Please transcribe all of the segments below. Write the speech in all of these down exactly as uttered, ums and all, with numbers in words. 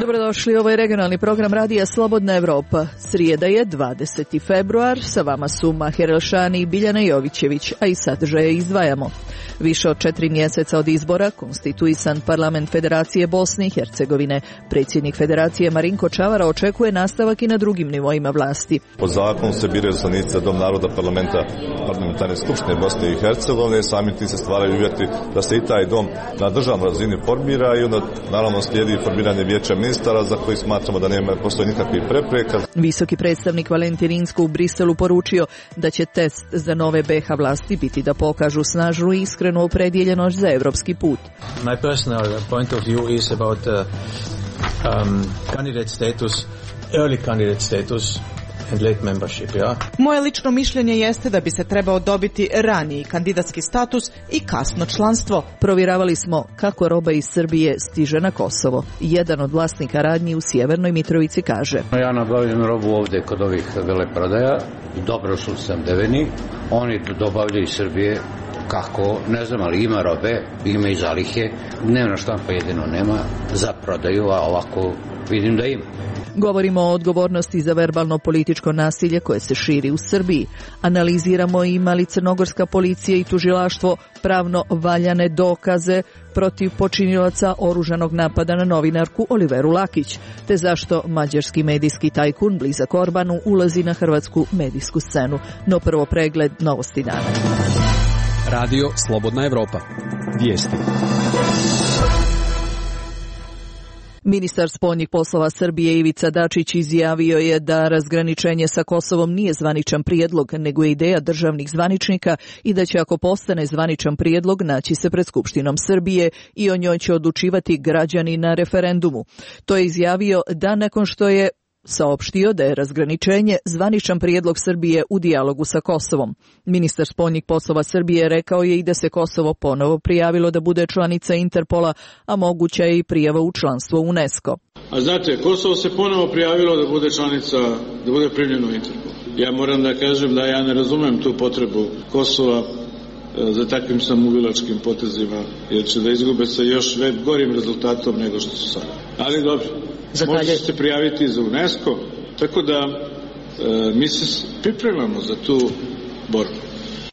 Dobrodošli, ovo je regionalni program radija Slobodna Evropa. Srijeda je dvadeseti februar, sa vama su Maher Elšani i Biljana Jovićević, a i sadržaje izdvajamo. Više od četiri mjeseca od izbora konstituisan parlament Federacije Bosne i Hercegovine. Predsjednik Federacije Marinko Čavara očekuje nastavak i na drugim nivoima vlasti. Po zakonu se biraju izaslanici za Dom naroda parlamenta parlamentarne skupštine Bosne i Hercegovine, sami tim se stvaraju uvjeti da se i taj dom na državnoj razini formira i onda naravno slijedi formiranje vijeća ministara za koji smatramo da nema postoji nikakvih prepreka. Visoki predstavnik Valentin Inzko u Briselu poručio da će test za nove B iH vlasti biti da pokažu snažnu i iskrenu opredjeljenost za evropski put. My personal point of view is about the um, candidate status, early candidate status and late membership, ja? Moje lično mišljenje jeste da bi se trebao dobiti raniji kandidatski status i kasno članstvo. Provjeravali smo kako roba iz Srbije stiže na Kosovo. Jedan od vlasnika radnji u Sjevernoj Mitrovici kaže: Ja nabavljam robu ovdje kod ovih veleprodaja, dobro su snabdeveni, oni dobavljaju iz Srbije. Kako, ne znam, ali ima robe, ima i zalihe, dnevna štampa jedino nema za prodaju, a ovako vidim da ima. Govorimo o odgovornosti za verbalno političko nasilje koje se širi u Srbiji. Analiziramo ima li crnogorska policija i tužilaštvo pravno valjane dokaze protiv počinilaca oružanog napada na novinarku Oliveru Lakić, te zašto mađarski medijski tajkun blizak Orbanu ulazi na hrvatsku medijsku scenu. No prvo pregled novosti dana. Radio Slobodna Evropa. Vijesti. Ministar spoljnih poslova Srbije Ivica Dačić izjavio je da razgraničenje sa Kosovom nije zvaničan prijedlog, nego je ideja državnih zvaničnika i da će, ako postane zvaničan prijedlog, naći se pred Skupštinom Srbije i o njoj će odlučivati građani na referendumu. To je izjavio dan nakon što je saopštio da je razgraničenje zvaničan prijedlog Srbije u dijalogu sa Kosovom. Ministar spoljnih poslova Srbije rekao je i da se Kosovo ponovo prijavilo da bude članica Interpola, a moguća je i prijava u članstvo UNESCO. A znate, Kosovo se ponovo prijavilo da bude članica, da bude primljeno u Interpol. Ja moram da kažem da ja ne razumem tu potrebu Kosova za takvim samoubilačkim potezima, jer će da izgube sa još gorim rezultatom nego što su sada. Ali dobro. Možete se prijaviti za UNESCO, tako da e, mi se pripremamo za tu borbu.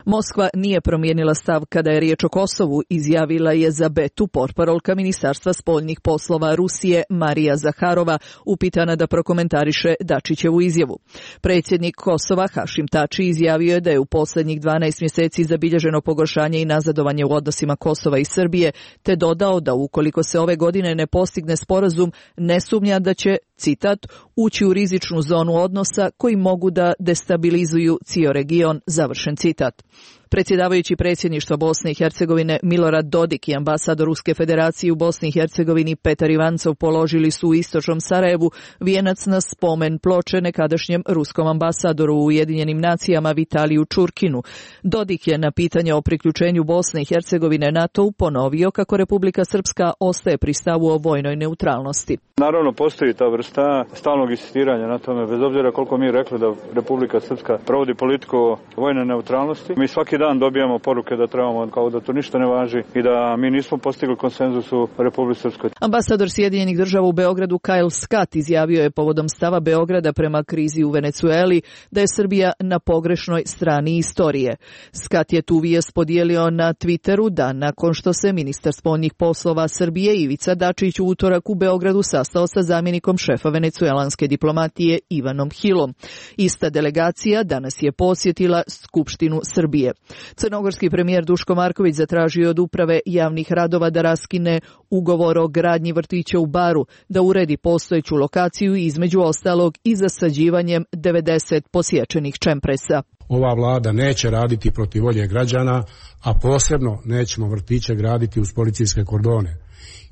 Moskva nije promijenila stav kada je riječ o Kosovu, izjavila je za Betu portparolka Ministarstva spoljnih poslova Rusije Marija Zaharova, upitana da prokomentariše Dačićevu izjavu. Predsjednik Kosova Hašim Tači izjavio je da je u posljednjih dvanaest mjeseci zabilježeno pogoršanje i nazadovanje u odnosima Kosova i Srbije, te dodao da ukoliko se ove godine ne postigne sporazum, ne sumnja da će, citat, ući u rizičnu zonu odnosa koji mogu da destabilizuju cijeli region, završen citat. Predsjedavajući predsjedništva Bosne i Hercegovine Milorad Dodik i ambasador Ruske federacije u Bosni i Hercegovini Petar Ivancov položili su u istočnom Sarajevu vijenac na spomen ploče nekadašnjem ruskom ambasadoru u Ujedinjenim nacijama Vitaliju Čurkinu. Dodik je na pitanje o priključenju Bosne i Hercegovine NATO-u ponovio kako Republika Srpska ostaje pri stavu o vojnoj neutralnosti. Naravno, postoji ta vrsta stalnog insistiranja na tome, bez obzira koliko mi rekli da Republika Srpska provodi politiku vojne neutralnosti. Mi svaki dan dobijamo poruke da trebamo, kao da to ništa ne važi i da mi nismo postigli konsenzus u Republici Srpskoj. Ambasador Sjedinjenih država u Beogradu Kyle Scott izjavio je povodom stava Beograda prema krizi u Venecueli da je Srbija na pogrešnoj strani istorije. Scott je tu vijest podijelio na Twitteru dan nakon što se ministar spoljnih poslova Srbije Ivica Dačić u utorak u Beogradu sastao sa zamjenikom šefa venecuelanske diplomatije Ivanom Hilom. Ista delegacija danas je posjetila Skupštinu Srbije. Crnogorski premijer Duško Marković zatražio od uprave javnih radova da raskine ugovor o gradnji vrtića u Baru, da uredi postojeću lokaciju i između ostalog i zasađivanjem devedeset posječenih čempresa. Ova vlada neće raditi protiv volje građana, a posebno nećemo vrtiće graditi uz policijske kordone.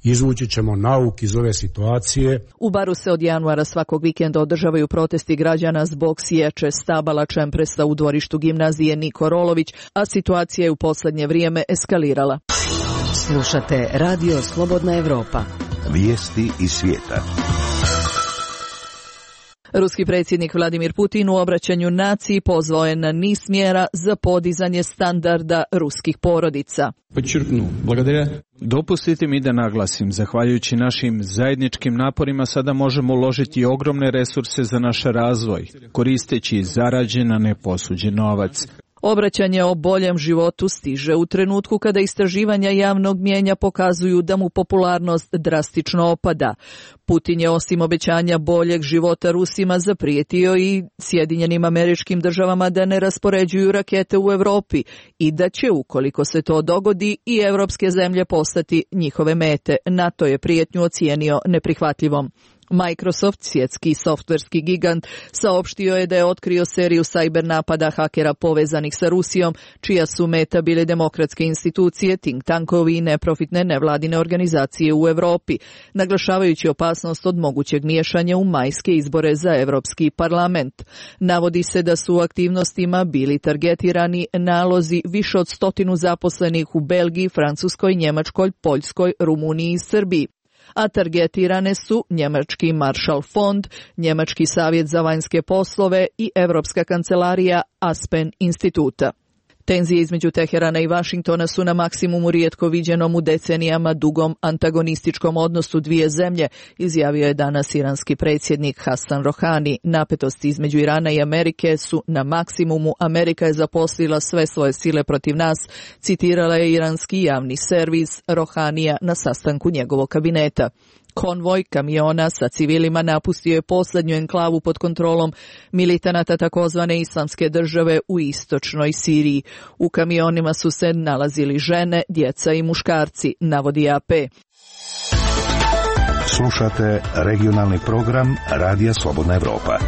Izvući ćemo nauk iz ove situacije. U Baru se od januara svakog vikenda održavaju protesti građana zbog sječe stabala čempresa u dvorištu gimnazije Niko Rolović, a situacija je u posljednje vrijeme eskalirala. Slušate Radio Slobodna Evropa. Vijesti iz svijeta. Ruski predsjednik Vladimir Putin u obraćanju naciji pozvao je na niz mjera za podizanje standarda ruskih porodica. Dopustite mi da naglasim, zahvaljujući našim zajedničkim naporima sada možemo uložiti ogromne resurse za naš razvoj, koristeći zarađen, a ne posuđen novac. Obraćanje o boljem životu stiže u trenutku kada istraživanja javnog mnijenja pokazuju da mu popularnost drastično opada. Putin je osim obećanja boljeg života Rusima zaprijetio i Sjedinjenim Američkim Državama da ne raspoređuju rakete u Europi i da će, ukoliko se to dogodi, i evropske zemlje postati njihove mete. NATO je prijetnju ocijenio neprihvatljivom. Microsoft, svjetski softverski gigant, saopštio je da je otkrio seriju sajber napada hakera povezanih sa Rusijom, čija su meta bile demokratske institucije, think tankovi i neprofitne nevladine organizacije u Europi, naglašavajući opasnost od mogućeg miješanja u majske izbore za Europski parlament. Navodi se da su u aktivnostima bili targetirani nalozi više od stotinu zaposlenih u Belgiji, Francuskoj, Njemačkoj, Poljskoj, Rumuniji i Srbiji. A targetirane su Njemački Marshall fond, Njemački savjet za vanjske poslove i Europska kancelarija Aspen instituta. Tenzije između Teherana i Vašingtona su na maksimumu rijetko viđenom u decenijama dugom antagonističkom odnosu dvije zemlje, izjavio je danas iranski predsjednik Hasan Rohani. Napetosti između Irana i Amerike su na maksimumu. Amerika je zaposlila sve svoje sile protiv nas, citirala je iranski javni servis Rohanija na sastanku njegovog kabineta. Konvoj kamiona sa civilima napustio je posljednju enklavu pod kontrolom militanata takozvane Islamske države u istočnoj Siriji. U kamionima su se nalazili žene, djeca i muškarci, navodi A P. Slušate regionalni program Radija Slobodna Evropa.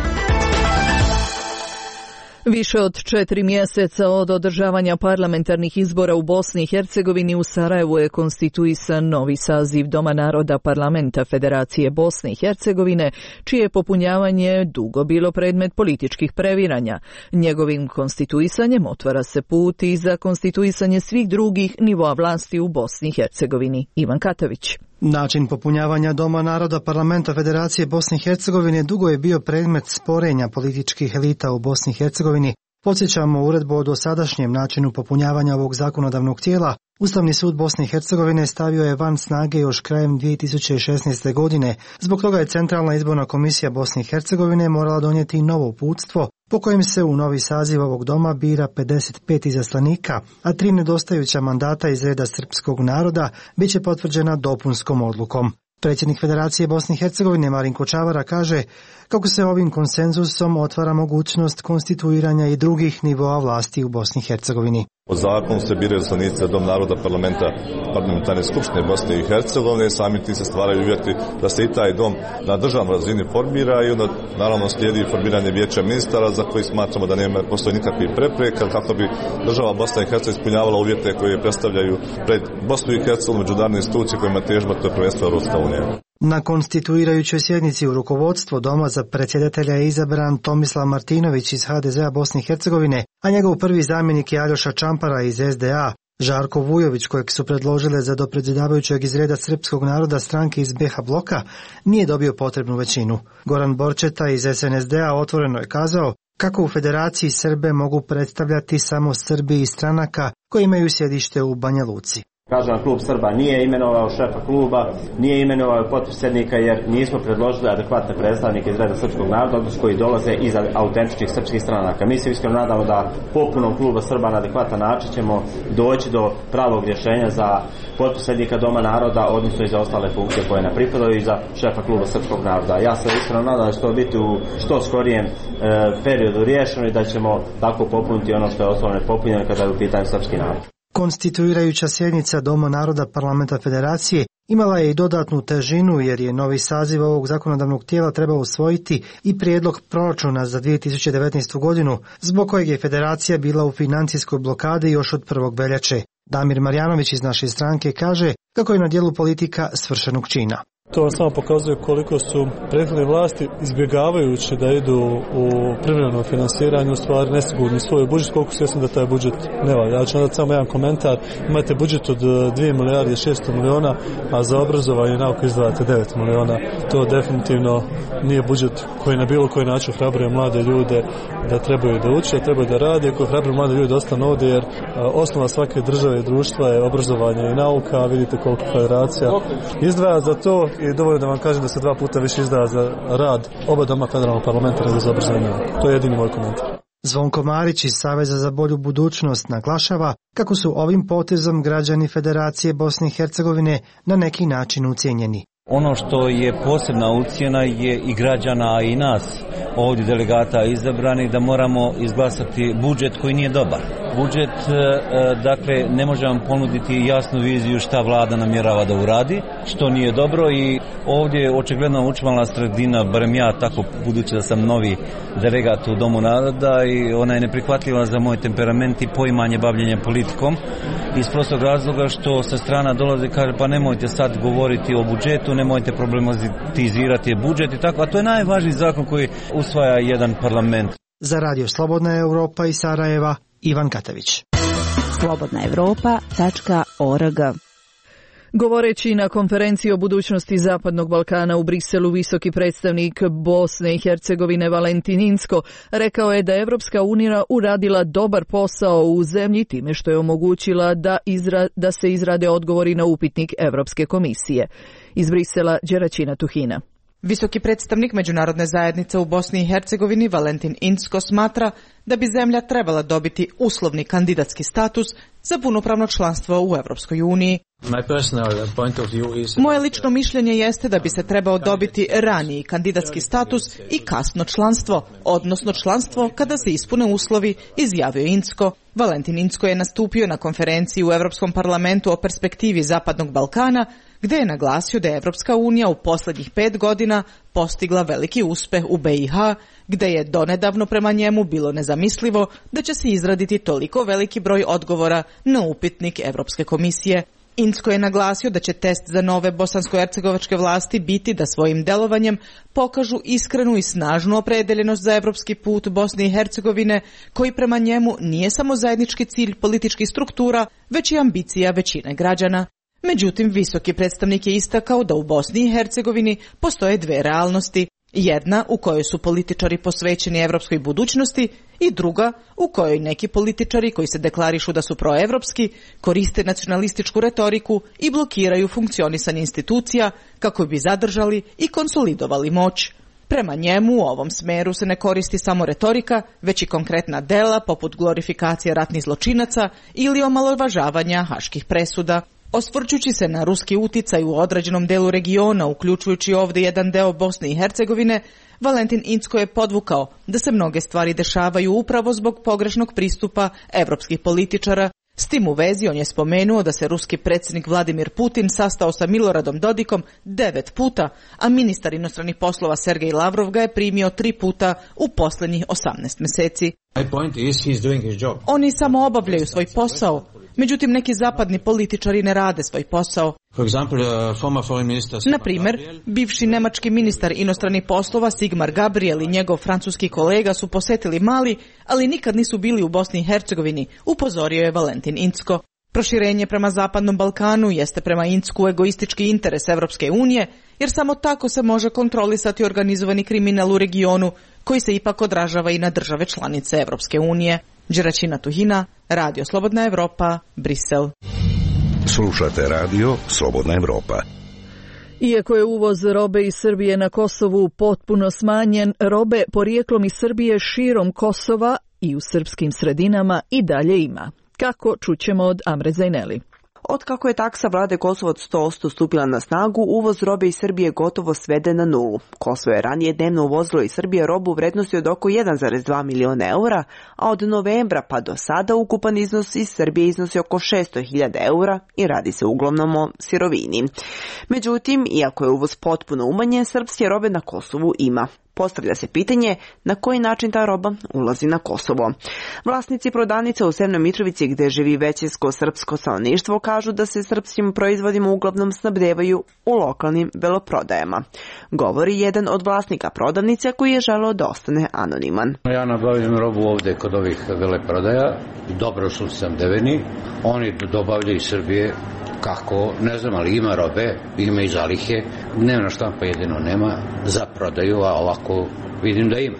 Više od četiri mjeseca od održavanja parlamentarnih izbora u Bosni i Hercegovini u Sarajevu je konstituisan novi saziv Doma naroda Parlamenta Federacije Bosne i Hercegovine, čije je popunjavanje dugo bilo predmet političkih previranja. Njegovim konstituisanjem otvara se put i za konstituisanje svih drugih nivoa vlasti u Bosni i Hercegovini. Ivan Katavić. Način popunjavanja Doma naroda Parlamenta Federacije Bosne i Hercegovine dugo je bio predmet sporenja političkih elita u Bosni i Hercegovini. Podsjećamo uredbu o dosadašnjem načinu popunjavanja ovog zakonodavnog tijela. Ustavni sud Bosne i Hercegovine stavio je van snage još krajem dvije tisuće šesnaeste. godine. Zbog toga je Centralna izborna komisija Bosne i Hercegovine morala donijeti novo uputstvo po kojem se u novi saziv ovog doma bira pedeset pet izaslanika, a tri nedostajuća mandata iz reda srpskog naroda bit će potvrđena dopunskom odlukom. Predsjednik Federacije Bosne i Hercegovine Marinko Čavara kaže kako se ovim konsenzusom otvara mogućnost konstituiranja i drugih nivoa vlasti u Bosni i Hercegovini. Po zakonu se biraju izaslanici za Dom naroda Parlamenta Parlamentarne skupštine Bosne i Hercegovine i sami ti se stvaraju uvjeti da se i taj dom na državnoj razini formira i onda naravno slijedi formiranje vijeća ministara za koji smatramo da nema postoji nikakvih prepreka kako bi država Bosna i Hercegovina ispunjavala uvjete koje predstavljaju pred Bosnu i Hercegovinu međunarodne institucije kojima težimo, to je prvenstveno Europska unija. Na konstituirajućoj sjednici u rukovodstvo Doma za predsjedatelja je izabran Tomislav Martinović iz H D Z A Bosne i Hercegovine, a njegov prvi zamjenik je Aljoša Čampara iz S D A. Žarko Vujović, kojeg su predložile za dopredsjedavajućeg iz reda srpskog naroda stranke iz B H bloka, nije dobio potrebnu većinu. Goran Borčeta iz S N S D A otvoreno je kazao kako u Federaciji Srbe mogu predstavljati samo Srbi iz stranaka koji imaju sjedište u Banja Luci. Kažem, klub Srba nije imenovao šefa kluba, nije imenovao potpredsjednika jer nismo predložili adekvatne predstavnike iz reda srpskog naroda koji dolaze iz autentičnih srpskih stranaka. Mi se iskreno nadamo da popunom kluba Srba na adekvatan način ćemo doći do pravog rješenja za potpredsjednika Doma naroda, odnosno i za ostale funkcije koje nam pripadaju i za šefa kluba srpskog naroda. Ja se iskreno nadam da će to biti u što skorijem e, periodu riješeno i da ćemo tako popuniti ono što je ostalo nepopunjeno kada je u pitanju srpski narod. Konstituirajuća sjednica Doma naroda Parlamenta Federacije imala je i dodatnu težinu jer je novi saziv ovog zakonodavnog tijela trebao usvojiti i prijedlog proračuna za dvije tisuće devetnaestu. godinu, zbog kojeg je Federacija bila u financijskoj blokadi još od prvog veljače. Damir Marjanović iz naše stranke kaže kako je na dijelu politika svršenog čina. To vam samo pokazuje koliko su prethodne vlasti, izbjegavajući da idu u privremeno finansiranje, u stvari nesigurni svoj budžet, koliko svjesno da taj budžet ne valja. Ja ću nadati samo jedan komentar. Imate budžet od dvije milijarde šesto miliona, a za obrazovanje i nauku izdvajate devet miliona. To definitivno nije budžet koji na bilo koji način hrabruje mlade ljude da trebaju da uče, da trebaju da rade, ako hrabruje mlade ljude da ostanu ovdje, jer osnova svake države i društva je obrazovanje i nauka, a vidite koliko federacija izdvaja za to. I dovoljno da vam kažem da se dva puta više izdaja za rad oba doma federalnog parlamenta nego za obrazovanje. To je jedini moj komentar. Zvonko Marić iz Saveza za bolju budućnost naglašava kako su ovim potezom građani Federacije Bosne i Hercegovine na neki način ucijenjeni. Ono što je posebna ucjena je i građana, a i nas ovdje delegata izabrani, da moramo izglasati budžet koji nije dobar. Budžet, dakle, ne može vam ponuditi jasnu viziju šta vlada namjerava da uradi, što nije dobro, i ovdje je očigledno učmala sredina, barem ja tako, budući da sam novi delegat u Domu naroda, i ona je neprihvatljiva za moj temperament i poimanje bavljenja politikom, iz prostog razloga što sa strana dolaze i kaže pa nemojte sad govoriti o budžetu, nemojte problematizirati budžet i tako, a to je najvažniji zakon koji usvaja jedan parlament. Za Radio Slobodna Europa iz Sarajeva, Ivan Katavić. slobodna europa tačka org. Govoreći na konferenciji o budućnosti Zapadnog Balkana u Briselu, visoki predstavnik Bosne i Hercegovine Valentin Incko rekao je da je Evropska unija uradila dobar posao u zemlji time što je omogućila da, izra, da se izrade odgovori na upitnik Evropske komisije. Iz Brisela, Đeraćina Tuhina. Visoki predstavnik međunarodne zajednice u Bosni i Hercegovini Valentin Incko smatra da bi zemlja trebala dobiti uslovni kandidatski status za punopravno članstvo u Evropskoj uniji. Moje lično mišljenje jeste da bi se trebao dobiti raniji kandidatski status i kasno članstvo, odnosno članstvo kada se ispune uslovi, izjavio Incko. Valentin Incko je nastupio na konferenciji u Europskom parlamentu o perspektivi Zapadnog Balkana, gdje je naglasio da je Evropska unija u posljednjih pet godina postigla veliki uspeh u B i H, gdje je donedavno prema njemu bilo nezamislivo da će se izraditi toliko veliki broj odgovora na upitnik Evropske komisije. Incko je naglasio da će test za nove bosansko-hercegovačke vlasti biti da svojim delovanjem pokažu iskrenu i snažnu opredeljenost za evropski put Bosne i Hercegovine, koji prema njemu nije samo zajednički cilj političkih struktura, već i ambicija većine građana. Međutim, visoki predstavnik je istakao da u Bosni i Hercegovini postoje dve realnosti. Jedna u kojoj su političari posvećeni evropskoj budućnosti i druga u kojoj neki političari koji se deklarišu da su proevropski koriste nacionalističku retoriku i blokiraju funkcionisanje institucija kako bi zadržali i konsolidovali moć. Prema njemu u ovom smeru se ne koristi samo retorika, već i konkretna dela poput glorifikacije ratnih zločinaca ili omalovažavanja haških presuda. Osvrćući se na ruski uticaj u određenom delu regiona, uključujući ovdje jedan deo Bosne i Hercegovine, Valentin Incko je podvukao da se mnoge stvari dešavaju upravo zbog pogrešnog pristupa evropskih političara. S tim u vezi on je spomenuo da se ruski predsjednik Vladimir Putin sastao sa Miloradom Dodikom devet puta, a ministar inostranih poslova Sergej Lavrov ga je primio tri puta u posljednjih osamnaest mjeseci. Oni samo obavljaju svoj posao, međutim neki zapadni političari ne rade svoj posao. Na primjer, bivši nemački ministar inostranih poslova Sigmar Gabriel i njegov francuski kolega su posjetili Mali, ali nikad nisu bili u Bosni i Hercegovini, upozorio je Valentin Incko. Proširenje prema Zapadnom Balkanu jeste prema Incku egoistički interes Evropske unije, jer samo tako se može kontrolisati organizovani kriminal u regionu, koji se ipak odražava i na države članice Evropske unije. Đeraćina Tuhina, Radio Slobodna Evropa, Brisel. Slušate Radio Slobodna Evropa. Iako je uvoz robe iz Srbije na Kosovu potpuno smanjen, robe porijeklom iz Srbije širom Kosova i u srpskim sredinama i dalje ima. Kako, čućemo od Amre Zajneli. Otkako je taksa vlade Kosovo od sto posto stupila na snagu, uvoz robe iz Srbije gotovo sveden na nulu. Kosovo je ranije dnevno uvozilo iz Srbije robu u vrednosti od oko jedan zarez dva miliona eura, a od novembra pa do sada ukupan iznos iz Srbije iznosi oko šesto hiljada eura i radi se uglavnom o sirovini. Međutim, iako je uvoz potpuno umanjen, srpske robe na Kosovu ima. Postavlja se pitanje na koji način ta roba ulazi na Kosovo. Vlasnici prodavnica u Severnoj Mitrovici gde živi većinsko srpsko stanovništvo kažu da se srpskim proizvodima uglavnom snabdevaju u lokalnim veloprodajama. Govori jedan od vlasnika prodavnice koji je želeo da ostane anoniman. Ja nabavljam robu ovde kod ovih veleprodaja, dobro su snabdeveni, oni dobavljaju iz Srbije kako, ne znam, ali ima robe, ima i zalihe, dnevna štampa jedino nema za prodaju, a ovako vidim da ima.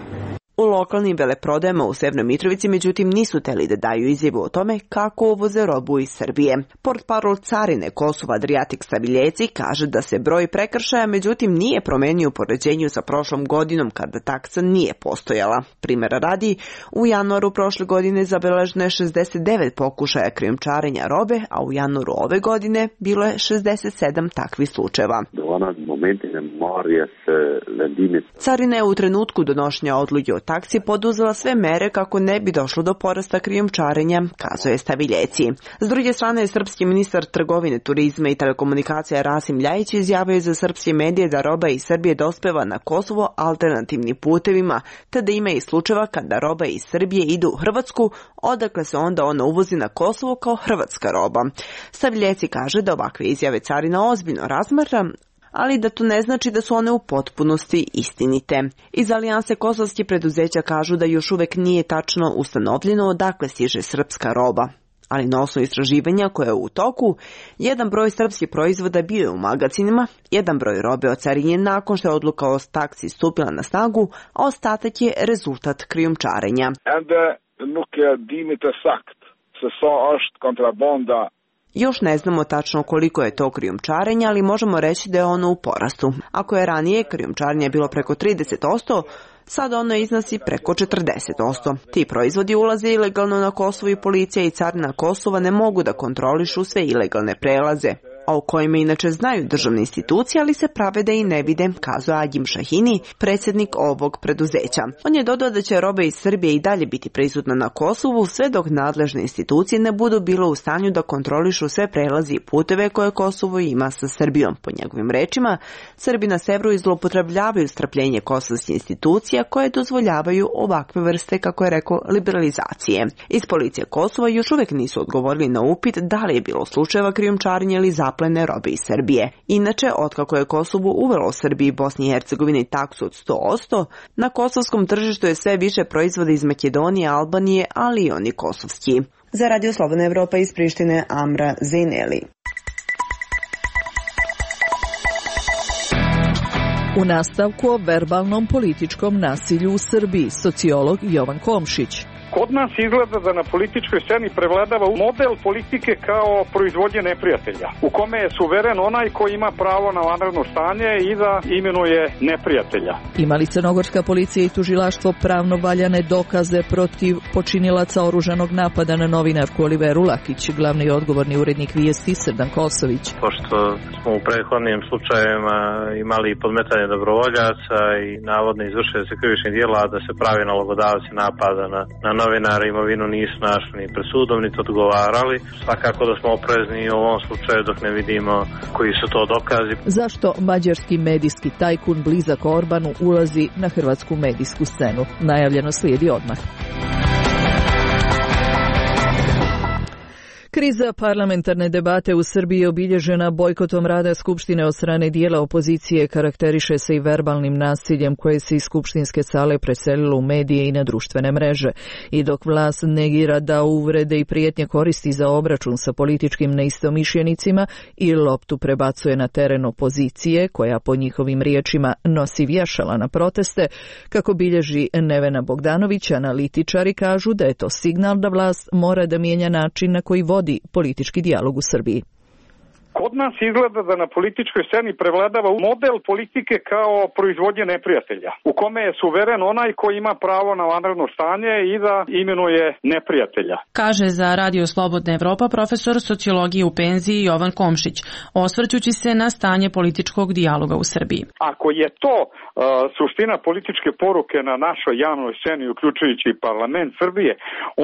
U lokalnim veleprodajama u Severnoj Mitrovici međutim nisu teli da daju izjavu o tome kako uvoze robu iz Srbije. Portparol carine Kosova Adriatik Staviljeci kaže da se broj prekršaja međutim nije promenio u poređenju sa prošlom godinom kada taksa nije postojala. Primjera radi, u januaru prošle godine zabeleženo je šezdeset devet pokušaja krijumčarenja robe, a u januaru ove godine bilo je šezdeset sedam takvih slučajeva. Carina je u trenutku donošenja odluke o taksi poduzela sve mere kako ne bi došlo do porasta krijumčarenja, kazuje Staviljeci. S druge strane, srpski ministar trgovine, turizma i telekomunikacija Rasim Ljajić izjavio je za srpske medije da roba iz Srbije dospeva na Kosovo alternativnim putevima, te da ima i slučajeva kada roba iz Srbije ide u Hrvatsku, odakle se onda ona uvozi na Kosovo kao hrvatska roba. Staviljeci kaže da ovakve izjave carina ozbiljno razmatra, ali da to ne znači da su one u potpunosti istinite. Iz Alijanse kosovskih preduzeća kažu da još uvek nije tačno ustanovljeno odakle stiže srpska roba. Ali na osnovu istraživanja koje je u toku, jedan broj srpskih proizvoda bio je u magazinima, jedan broj robe ocarinjen nakon što je odluka o taksi stupila na snagu, a ostatak je rezultat krijumčarenja. Još ne znamo tačno koliko je to krijumčarenja, ali možemo reći da je ono u porastu. Ako je ranije krijumčarenje bilo preko trideset posto, sad ono iznosi preko četrdeset posto. Ti proizvodi ulaze ilegalno na Kosovo i policija i carina Kosova ne mogu da kontrolišu sve ilegalne prelaze, a u kojima inače znaju državne institucije, ali se prave da i ne vide, kazuje Agim Šahini, predsjednik ovog preduzeća. On je dodao da će roba iz Srbije i dalje biti prisutna na Kosovu sve dok nadležne institucije ne budu bilo u stanju da kontrolišu sve prelazi i puteve koje Kosovo ima sa Srbijom. Po njegovim rečima, Srbi na severu zloupotrebljavaju strpljenje kosovskih institucija koje dozvoljavaju ovakve vrste, kako je rekao, liberalizacije. Iz policije Kosova još uvijek nisu odgovorili na upit da li je bilo slučajeva krijumčarenja ili zaplene robe iz Srbije. Inače, otkako je Kosovo uvelo Srbiji i Bosni i Hercegovini taksu od sto posto, na kosovskom tržištu je sve više proizvoda iz Makedonije, Albanije, ali i oni kosovski. Za Radio Slobodna Evropa iz Prištine, Amra Zejneli. U nastavku o verbalnom političkom nasilju u Srbiji, sociolog Jovan Komšić. Kod nas izgleda da na političkoj sceni prevladava model politike kao proizvodnje neprijatelja, u kome je suveren onaj koji ima pravo na vanredno stanje i da imenuje neprijatelja. Ima li crnogorska policija i tužilaštvo pravno valjane dokaze protiv počinilaca oružanog napada na novinarku Oliveru Lakić, glavni i odgovorni urednik Vijesti Srdan Kosović? Pošto smo u prethodnim slučajevima imali podmetanje dobrovoljaca i navodno izvršili se krivičnih djela, da se pravi nalogodavci napada na, na novinari imovinu nisu našli ni pred sudom, niti odgovarali. Svakako da smo oprezni u ovom slučaju dok ne vidimo koji su to dokazi. Zašto mađarski medijski tajkun blizak Orbanu ulazi na hrvatsku medijsku scenu? Najavljeno slijedi odmah. Kriza parlamentarne debate u Srbiji je obilježena bojkotom rada Skupštine od strane dijela opozicije, karakteriše se i verbalnim nasiljem koje se iz skupštinske sale preselilo u medije i na društvene mreže. I dok vlast negira da uvrede i prijetnje koristi za obračun sa političkim neistomišljenicima i loptu prebacuje na teren opozicije, koja po njihovim riječima nosi vješala na proteste, kako bilježi Nevena Bogdanović, analitičari kažu da je to signal da vlast mora da mijenja način na koji vodi politički dijalog u Srbiji. Kod nas izgleda da na političkoj sceni prevladava model politike kao proizvodnje neprijatelja, u kome je suveren onaj koji ima pravo na vanredno stanje i da imenuje neprijatelja. Kaže za Radio Slobodna Evropa profesor sociologije u penziji Jovan Komšić, osvrćući se na stanje političkog dijaloga u Srbiji. Ako je to uh, suština političke poruke na našoj javnoj sceni, uključujući parlament Srbije,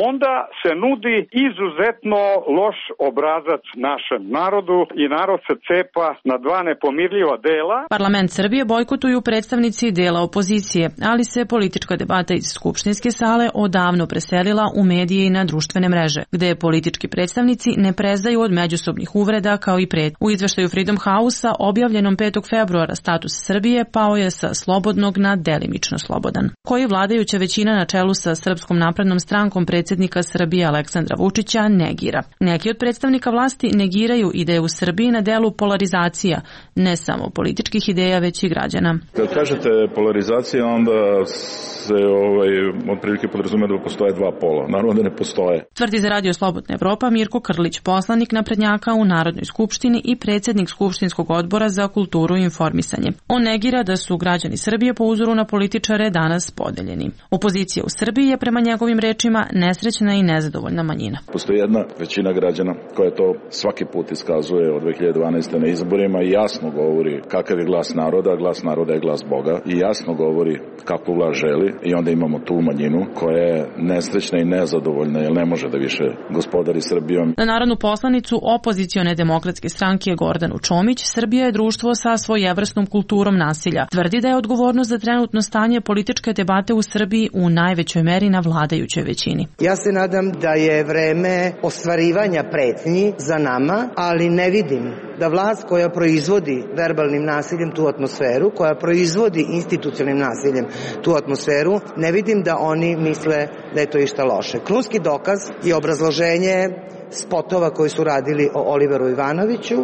onda se nudi izuzetno loš obrazac našem narodu i narod se cepa na dva nepomirljiva dela. Parlament Srbije bojkotuju predstavnici dela opozicije, ali se politička debata iz skupštinske sale odavno preselila u medije i na društvene mreže, gde politički predstavnici ne prezaju od međusobnih uvreda kao i pred. U izveštaju Freedom House-a objavljenom petog februara status Srbije pao je sa slobodnog na delimično slobodan, koji vladajuća većina na čelu sa Srpskom naprednom strankom predsjednika Srbije Aleksandra Vučića negira. Neki od predstavnika vlasti negiraju i da je u Srbiji na delu polarizacija, ne samo političkih ideja, već i građana. Kad kažete polarizacija, onda se ovaj, otprilike podrazume da postoje dva pola. Naravno da ne postoje. Tvrdi za Radio Slobodna Evropa Mirko Krlić, poslanik naprednjaka u Narodnoj skupštini i predsjednik Skupštinskog odbora za kulturu i informisanje. On negira da su građani Srbije po uzoru na političare danas podeljeni. Opozicija u Srbiji je prema njegovim rečima nesrećna i nezadovoljna manjina. Postoji jedna većina građana koja to svaki put iskazuje od dve hiljade dvanaeste. na izborima i jasno govori kakav je glas naroda, glas naroda je glas Boga i jasno govori kakvu vlast želi i onda imamo tu manjinu koja je nesrećna i nezadovoljna jer ne može da više gospodari Srbijom. Na narodnu poslanicu opozicione demokratske stranke Gordanu Čomić, Srbija je društvo sa svojevrsnom kulturom nasilja. Tvrdi da je odgovornost za trenutno stanje političke debate u Srbiji u najvećoj meri na vladajućoj većini. Ja se nadam da je vreme ostvarivanja pretnji za nama, ali ne vidim da vlast koja proizvodi verbalnim nasiljem tu atmosferu, koja proizvodi institucionalnim nasiljem tu atmosferu, ne vidim da oni misle da je to išta loše. Krunski dokaz je obrazloženje spotova koji su radili o Oliveru Ivanoviću,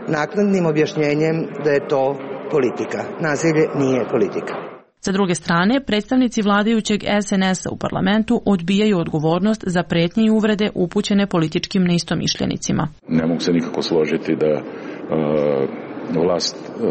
naknadnim objašnjenjem da je to politika. Nasilje nije politika. Sa druge strane, predstavnici vladajućeg S N S-a u parlamentu odbijaju odgovornost za pretnje i uvrede upućene političkim neistomišljenicima. Ne mogu se nikako složiti da uh, vlast, uh,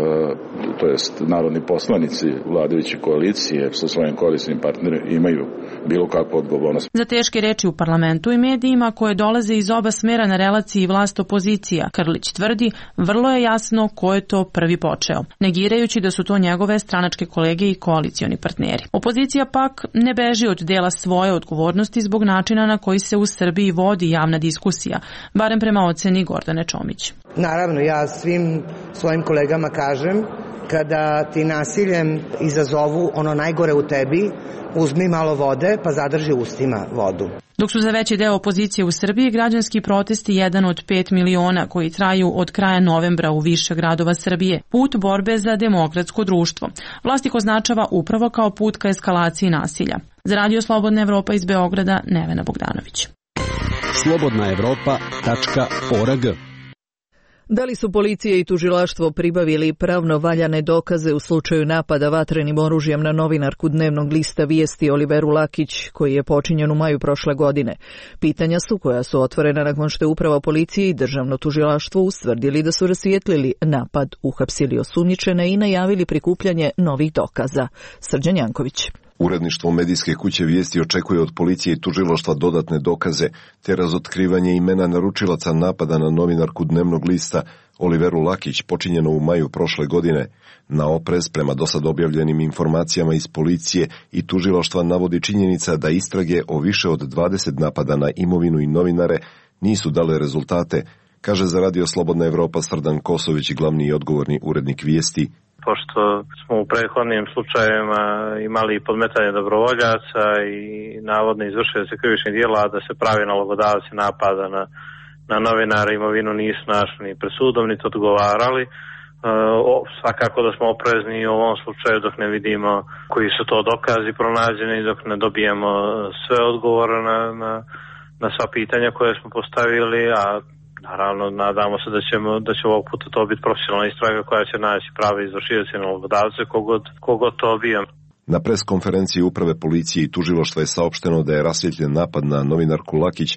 to jest narodni poslanici vladajuće koalicije sa svojim koalicijnim partnerima imaju bilo kakvu odgovornost. Za teške reči u parlamentu i medijima koje dolaze iz oba smera na relaciji vlast-opozicija, Krlić tvrdi, vrlo je jasno ko je to prvi počeo, negirajući da su to njegove stranačke kolege i koalicioni partneri. Opozicija pak ne beži od dela svoje odgovornosti zbog načina na koji se u Srbiji vodi javna diskusija, barem prema oceni Gordane Čomić. Naravno, ja svim svojim kolegama kažem, kada ti nasiljem izazovu ono najgore u tebi, uzmi malo vode pa zadrži ustima vodu. Dok su za veći deo opozicije u Srbiji građanski protesti jedan od pet miliona koji traju od kraja novembra u više gradova Srbije, put borbe za demokratsko društvo. Vlast ih označava upravo kao put ka eskalaciji nasilja. Za Radio Slobodna Evropa iz Beograda, Nevena Bogdanović. slobodna evropa tačka org. Da li su policija i tužilaštvo pribavili pravno valjane dokaze u slučaju napada vatrenim oružjem na novinarku dnevnog lista Vijesti Oliveru Lakić, koji je počinjen u maju prošle godine? Pitanja su koja su otvorena nakon što je uprava policije i državno tužilaštvo ustvrdili da su rasvijetlili napad, uhapsili osumnjičene i najavili prikupljanje novih dokaza. Srđan Janković. Uredništvo medijske kuće Vijesti očekuje od policije i tužilaštva dodatne dokaze te razotkrivanje imena naručilaca napada na novinarku dnevnog lista Oliveru Lakić počinjeno u maju prošle godine. Na oprez prema dosad objavljenim informacijama iz policije i tužilaštva navodi činjenica da istrage o više od dvadeset napada na imovinu i novinare nisu dale rezultate, kaže za Radio Slobodna Evropa Srdan Kosović, glavni i odgovorni urednik Vijesti. Pošto smo u prethodnim slučajevima imali podmetanje dobrovoljaca i navodno izvršili krivičnih djela, da se pravi nalogodavci napada na, na novinare, imovinu nisu našli ni pred sudom, niti odgovarali. E, o, svakako da smo oprezni u ovom slučaju dok ne vidimo koji su to dokazi pronađeni, dok ne dobijemo sve odgovore na, na, na sva pitanja koje smo postavili, a naravno, nadamo se da ćemo da će ovog puta to biti profesionalna istraga koja će naći prave izvršioce i nalogodavce kogod, kogod to bio. Na pres konferenciji uprave policije i tužilaštva je saopšteno da je rasvjetljen napad na novinarku Lakić,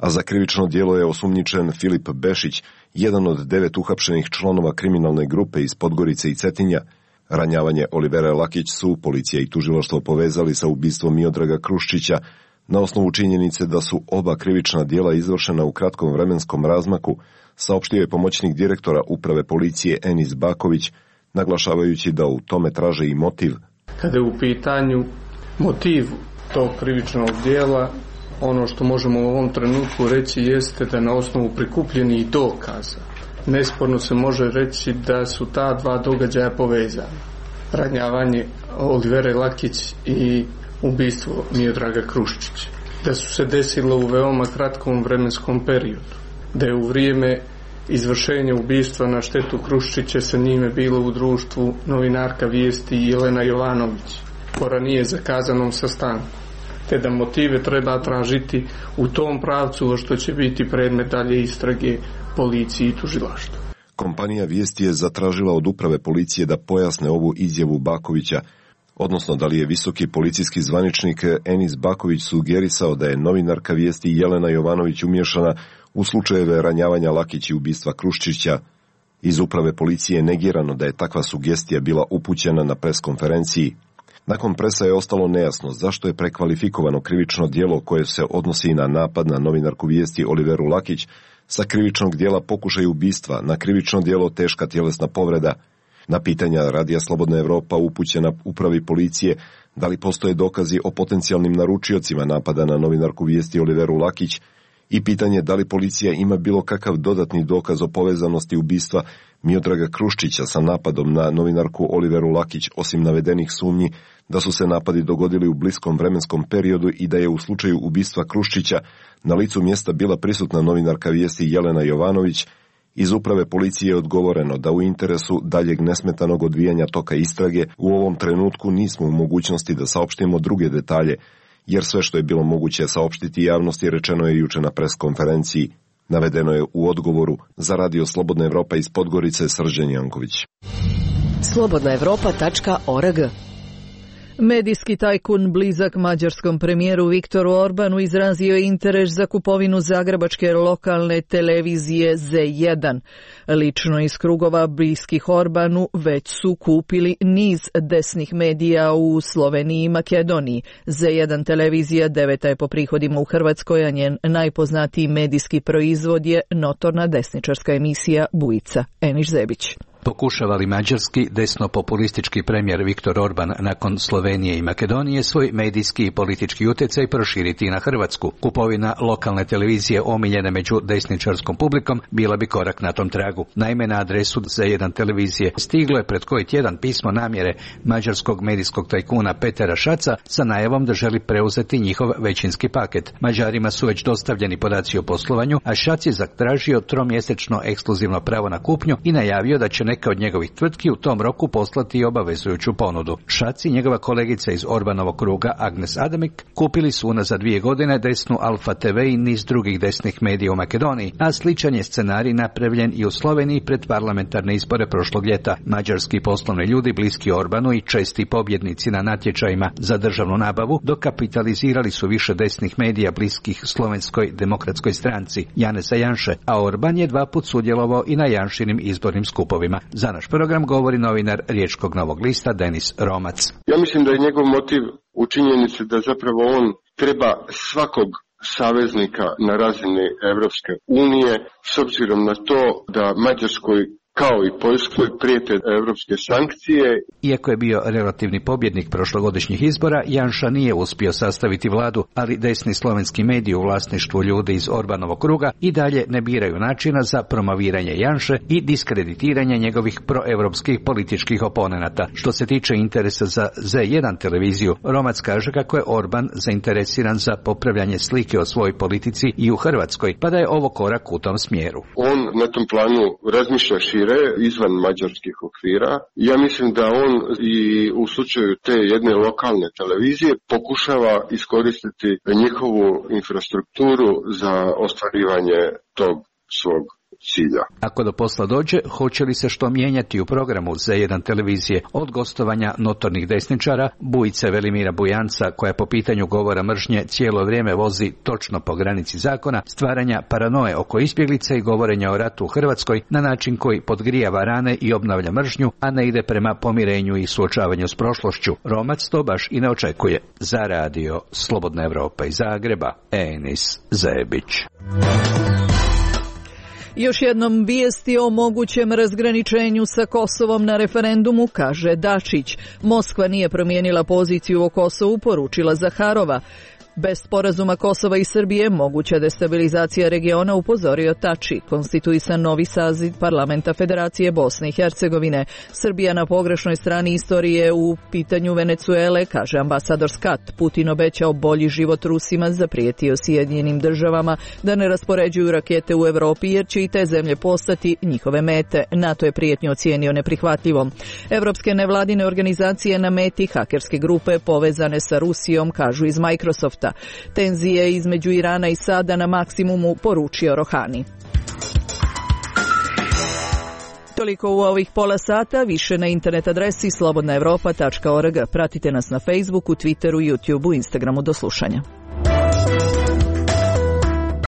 a za krivično djelo je osumnjičen Filip Bešić, jedan od devet uhapšenih članova kriminalne grupe iz Podgorice i Cetinja. Ranjavanje Olivera Lakić su policija i tužilaštvo povezali sa ubistvom Miodraga Kruščića, na osnovu činjenice da su oba krivična djela izvršena u kratkom vremenskom razmaku, saopštio je pomoćnik direktora uprave policije Enis Baković, naglašavajući da u tome traže i motiv. Kada je u pitanju motiv tog krivičnog djela, ono što možemo u ovom trenutku reći jeste da na osnovu prikupljenih dokaza nesporno se može reći da su ta dva događaja povezana. Ranjavanje Olivere Lakić i ubistvo Miodraga Kruščića. Da su se desilo u veoma kratkom vremenskom periodu. Da je u vrijeme izvršenja ubistva na štetu Kruščića sa njime bilo u društvu novinarka Vijesti Jelena Jovanović po ranije zakazanom sastanku, te da motive treba tražiti u tom pravcu, što će biti predmet dalje istrage policiji i tužilaštvu. Kompanija Vijesti je zatražila od uprave policije da pojasne ovu izjavu Bakovića, odnosno da li je visoki policijski zvaničnik Enis Baković sugerisao da je novinarka Vijesti Jelena Jovanović umiješana u slučajeve ranjavanja Lakić i ubistva Kruščića. Iz uprave policije je negirano da je takva sugestija bila upućena na preskonferenciji. Nakon presa je ostalo nejasno zašto je prekvalifikovano krivično djelo koje se odnosi na napad na novinarku Vijesti Oliveru Lakić sa krivičnog djela pokušaj ubistva na krivično djelo teška tjelesna povreda. Na pitanja Radija Slobodna Evropa upućena upravi policije da li postoje dokazi o potencijalnim naručiocima napada na novinarku Vijesti Oliveru Lakić i pitanje da li policija ima bilo kakav dodatni dokaz o povezanosti ubistva Miodraga Kruščića sa napadom na novinarku Oliveru Lakić, osim navedenih sumnji da su se napadi dogodili u bliskom vremenskom periodu i da je u slučaju ubistva Kruščića na licu mjesta bila prisutna novinarka Vijesti Jelena Jovanović. Iz uprave policije je odgovoreno da u interesu daljeg nesmetanog odvijanja toka istrage u ovom trenutku nismo u mogućnosti da saopštimo druge detalje, jer sve što je bilo moguće saopštiti javnosti rečeno je juče na preskonferenciji. Navedeno je u odgovoru za Radio Slobodna Evropa iz Podgorice Srđan Janković. slobodna evropa tačka org. Medijski tajkun blizak mađarskom premijeru Viktoru Orbanu izrazio je interes za kupovinu zagrebačke lokalne televizije zet jedan. Lično iz krugova bliskih Orbanu već su kupili niz desnih medija u Sloveniji i Makedoniji. zet jedan televizija deveta je po prihodima u Hrvatskoj, a njen najpoznatiji medijski proizvod je notorna desničarska emisija Bujica. Eniš Zebić. Pokušava li mađarski desno-populistički premijer Viktor Orban nakon Slovenije i Makedonije svoj medijski i politički utjecaj proširiti na Hrvatsku? Kupovina lokalne televizije omiljene među desničarskom publikom bila bi korak na tom tragu. Naime, na adresu zet jedan televizije stiglo je pred koji tjedan pismo namjere mađarskog medijskog tajkuna Petera Šaca sa najavom da želi preuzeti njihov većinski paket. Mađarima su već dostavljeni podaci o poslovanju, a Šac je zatražio tromjesečno ekskluzivno pravo na kupnju i najavio da će neka od njegovih tvrtki u tom roku poslati obavezujuću ponudu. Šac i njegova kolegica iz Orbanovog kruga Agnes Adamik kupili su unazad dvije godine desnu Alfa te ve i niz drugih desnih medija u Makedoniji, a sličan je scenarij napravljen i u Sloveniji pred parlamentarne izbore prošlog ljeta. Mađarski poslovni ljudi bliski Orbanu i česti pobjednici na natječajima za državnu nabavu dokapitalizirali su više desnih medija bliskih Slovenskoj demokratskoj stranci Janeza Janše, a Orban je dva put sudjelovao i na Janšinim izbornim skupovima. Za naš program govori novinar Riječkog Novog lista Denis Romac. Ja mislim da je njegov motiv u činjenici da zapravo on treba svakog saveznika na razini Evropske unije, s obzirom na to da Mađarskoj kao i Poljskoj prijete evropske sankcije. Iako je bio relativni pobjednik prošlogodišnjih izbora, Janša nije uspio sastaviti vladu, ali desni slovenski mediji u vlasništvu ljudi iz Orbanovog kruga i dalje ne biraju načina za promoviranje Janše i diskreditiranje njegovih proevropskih političkih oponenata. Što se tiče interesa za zet jedan televiziju, Romac kaže kako je Orban zainteresiran za popravljanje slike o svojoj politici i u Hrvatskoj, pa da je ovo korak u tom smjeru. On na tom planu razmišlja šire, izvan mađarskih okvira. Ja mislim da on i u slučaju te jedne lokalne televizije pokušava iskoristiti njihovu infrastrukturu za ostvarivanje tog svog cilja. Ako do posla dođe, hoće li se što mijenjati u programu zet jedan televizije od gostovanja notornih desničara, Bujice Velimira Bujanca, koja po pitanju govora mržnje cijelo vrijeme vozi točno po granici zakona, stvaranja paranoje oko izbjeglica i govorenja o ratu u Hrvatskoj na način koji podgrijava rane i obnavlja mržnju, a ne ide prema pomirenju i suočavanju s prošlošću. Romac to baš i ne očekuje. Za radio Slobodna Evropa iz Zagreba, Enis Zebić. Još jednom vijesti o mogućem razgraničenju sa Kosovom na referendumu, kaže Dačić. Moskva nije promijenila poziciju o Kosovu, poručila Zaharova. Bez sporazuma Kosova i Srbije moguća destabilizacija regiona, upozorio Tači, konstituisan novi saziv parlamenta Federacije Bosne i Hercegovine. Srbija na pogrešnoj strani istorije u pitanju Venecuele, kaže ambasador Skat. Putin obećao bolji život Rusima, zaprijetio Sjedinjenim državama da ne raspoređuju rakete u Evropi jer će i te zemlje postati njihove mete. NATO je prijetnju ocijenio neprihvatljivom. Evropske nevladine organizacije na meti hakerske grupe povezane sa Rusijom, kažu iz Microsofta. Tenzije između Irana i Sada na maksimumu, poručio Rohani. Toliko u ovih pola sata, više na internet adresi slobodna evropa tačka org. Pratite nas na Facebooku, Twitteru, YouTubeu, Instagramu. Do slušanja.